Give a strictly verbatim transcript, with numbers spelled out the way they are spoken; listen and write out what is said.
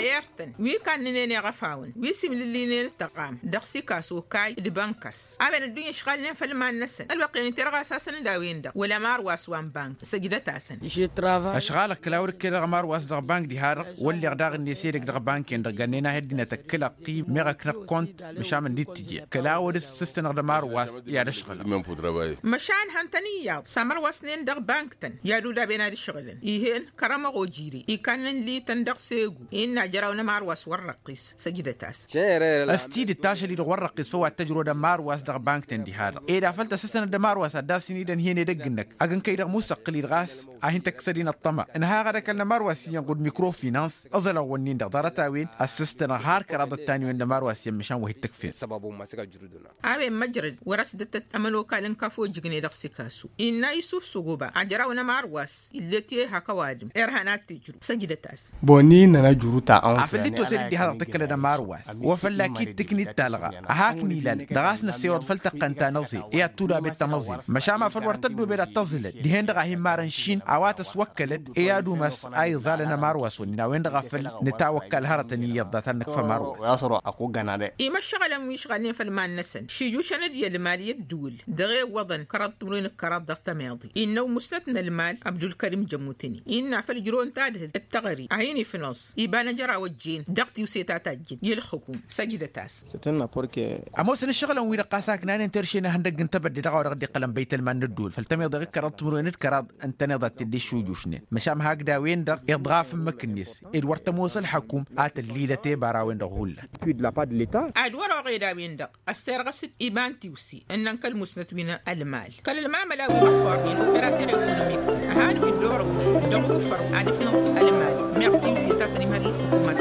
Ertăn wi kannănen iɣăfawăn wi simlǝllinen tăɣam dăɣ-sikaso kay d-bănk-s a-wen ăddunya ǝšɣalnen făll-iman-năsăn ălwăqq-en iterɣas-asăn d-a-wen-dăɣ wăla marwas wa n-bank săjdăt-asăn. Ăšɣalăɣ kăla wăr-ǝkkeḍăɣ marwas dăɣ-bank diha-dăɣ wălleɣ daɣ-net edăgg dăɣ-bank-en-dăɣ gannăy n-ad-heddǝnăt ăkkǝlăɣ ăqqim meɣ ăknăɣ kont măšan mǝndit tǝjje kăla wăr-ǝssǝstănăɣ d-amarwas i-ad-ăšɣǝlăɣ. Măšan hăn-tăn iyyăḍ s-amărwăsnen dăɣ-bank-tăn i-ad-udaben ad-ǝšɣǝlăn ih'-en kăramăɣ ojire ikannăn lităn dăɣ-segu innă ajăraw n-amarwas wăr răqqis săjdăt-as. Ăstidǝt ašăl-i-dăɣ wăr răqqis făw ad-tăjrăwăd amarwas dăɣ-bank-tăn diha-dăɣ ed afăl tăssăstănăd amarwas ad-dd-asǝnidăn hi-en edăgg-năk agg n-kăy-dăɣ musăqqǝl-i-dăɣ a-s a hin-tăkkăsăd-in ăṭṭăma ǝnhăɣăd ăkall n-amarwas iyyăn ɣud mikrofinans ăẓălăɣ-wǝnnin-dăɣ ḍarăt-a-wen ăssăstănăɣ har kăraḍ ăttan-iwen d-amarwas iyyăn măšan wa hi-t-tăkfen. A-wen măjrăd wăr-ăsdătăt ămănokal n-kafo jǝgne dăɣ-sikasu innă isuf s-ogoba ajăraw n-amarwas ill'-e ti ehăk ăwadǝm irhan ad-t-ijru săjdăt-as. Boni nănăj urut a. Afăl d-tosed dd-iha dăɣ-tǝkkălăd ămarwas wa fălla-k-dd-tǝknit talɣa ăhak n-ilal dăɣ-a-s năssewăḍ făll-tăqqăn ta n-aẓel i-ad-tudabed tamăẓel măšan ma făl wăr tăddobed ad-tăẓǝlăd dihen-dăɣ a hin-marăn šin a-wa tăswăkkălăd i-ad-umas a iẓalăn ămarwas-wǝnnin a-wen-dăɣ a făl nǝtawăkkal hărătăn iyyăḍ dat-ad-nǝkf ămarwas. Imăššăɣălăn wi ǝšɣalnen făll-iman-năsăn šijušăn-dd i-ălmal i-ăddǝwǝl dăɣ-e iwwăḍăn kăraḍ timǝrwen d-kăraḍ dăɣ-tămeḍe innă umǝsnăt n-ălmal abdulkărim jămmutǝni innă afăl ǝjrăwăn tadhǝlt d-teɣăre a hin-ifnăẓ iba n-ajăraw ăjjeen dăɣ-tiwse ta tajjǝn i-ǝlxǝkum. Săjdăt-as. Ămoosăn ǝššăɣǝlăn-wi-dăɣ ɣas a ǝknanen terše n-ehăndăgg n-tebădde dăɣ-a-wa dăɣ-dd-iqqălăn băytălman n-ăddǝwǝl făll-tămeḍe ɣǝkkărăḍ timǝrwen d-kăraḍ ǝntăneḍ ad-t-dd-iššujušnen măšan hakd a-wen-dăɣ iḍɣaf ǝmmǝk-net ed wăr tămoos ălxăkum a tăllilăt ebara a-wen-dăɣ hullan. Ad-wăr-oɣed a-wen-dăɣ ăssirɣăs-dd iba n-tiwse ǝnnăn kăl-musnăt wi n-ălmal kăl-ălmamăla wi măqqornen operater ekonomik-tăn ăhalǝm-dd orăwnen dăɣ-ufăr ad-ǝfnăẓ ălmal meɣ tiwse ta s-ănimhăl ǝlxǝkumat.